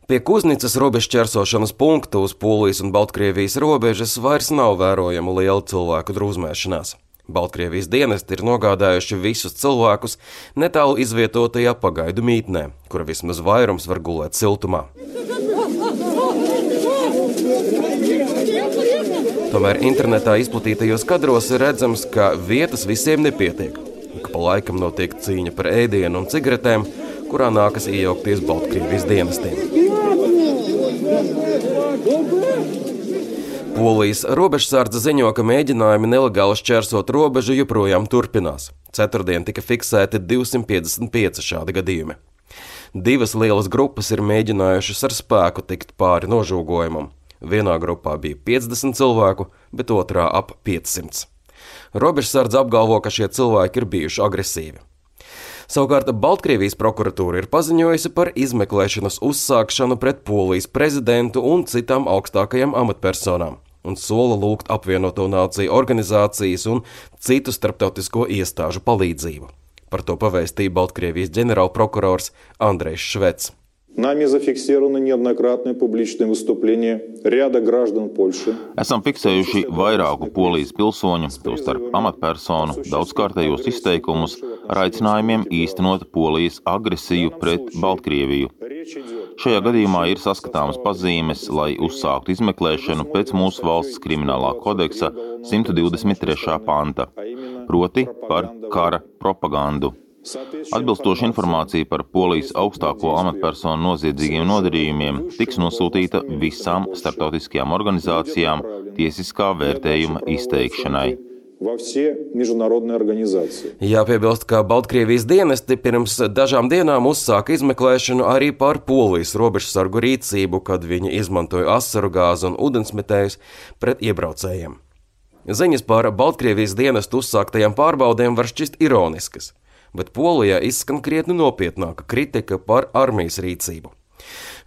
Pie Kuznicas robežšķērsošanas punkta uz Polijas un Baltkrievijas robežas vairs nav vērojama liela cilvēku drūzmēšanās. Baltkrievijas dienesti ir nogādājuši visus cilvēkus netālu izvietotajā pagaidu mītnē, kura vismaz vairums var gulēt siltumā. Tomēr internetā izplatītajos kadros ir redzams, ka vietas visiem nepietiek. Ik pa laikam notiek cīņa par ēdienu un cigaretēm, kurā nākas iejaukties Baltkrievijas dienestiem. Polijas robežsardze ziņo, ka mēģinājumi nelegāli šķērsot robežu joprojām turpinās. Ceturtdien tika fiksēti 255 šādi gadījumi. Divas lielas grupas ir mēģinājušas ar spēku tikt pāri nožūgojumam. Vienā grupā bija 50 cilvēku, bet otrā ap 500. Robežsardze apgalvo, ka šie cilvēki ir bijuši agresīvi. Savukārt Baltkrievijas prokuratūra ir paziņojusi par izmeklēšanas uzsākšanu pret Polijas prezidentu un citām augstākajām amatpersonām un sola lūgt apvienoto nāciju organizācijas un citu starptautisko iestāžu palīdzību. Par to pavēstīja Baltkrievijas ģenerālprokurors Andrejs Švets. Нами зафиксированы неоднократные публичные выступления ряда граждан Польши. Esam fiksējuši vairāku Polijas pilsoņu, tostarp amatpersonu, daudzkārtējos izteikumus ar aicinājumiem īstenot Polijas agresiju pret Baltkrieviju. Šajā gadījumā ir saskatāmas pazīmes, lai uzsāktu izmeklēšanu pēc mūsu valsts kriminālā kodeksa 123. panta, proti par kara propagandu. Atbilstoša informācija par Polijas augstāko amatpersonu noziedzīgiem nodarījumiem tiks nosūtīta visām starptautiskajām organizācijām tiesiskā vērtējuma izteikšanai. Jāpiebilst, ka Baltkrievijas dienesti pirms dažām dienām uzsāka izmeklēšanu arī par Polijas robežsargu rīcību, kad viņi izmantoja asaru gāzi un ūdensmetējus pret iebraucējiem. Ziņas par Baltkrievijas dienestu uzsāktajām pārbaudēm var šķist ironiskas, bet Polijā izskan krietni nopietnāka kritika par armijas rīcību.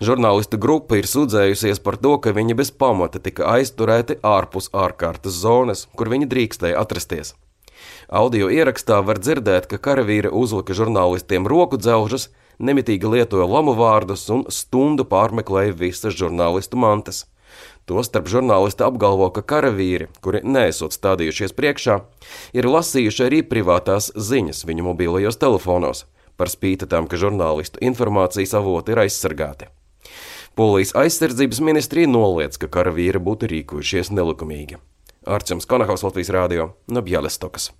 Žurnālistu grupa ir sūdzējusies par to, ka viņi bez pamata tika aizturēti ārpus ārkārtas zonas, kur viņi drīkstēja atrasties. Audio ierakstā var dzirdēt, ka karavīri uzlika žurnālistiem roku dzelžus, nemitīgi lietoja lamu vārdus un stundu pārmeklēja visas žurnālistu mantas. Tostarp žurnālisti apgalvo, ka karavīri, kuri neesot stādījušies priekšā, ir lasījuši arī privātās ziņas viņu mobilajos telefonos, par spīti tam, ka žurnālistu informācijas avoti ir aizsargāti. Polijas aizsardzības ministrija noliedz, ka karavīri būtu rīkojušies nelikumīgi. Arčuns Konahaus, Latvijas Rādio, no Bjelestokas.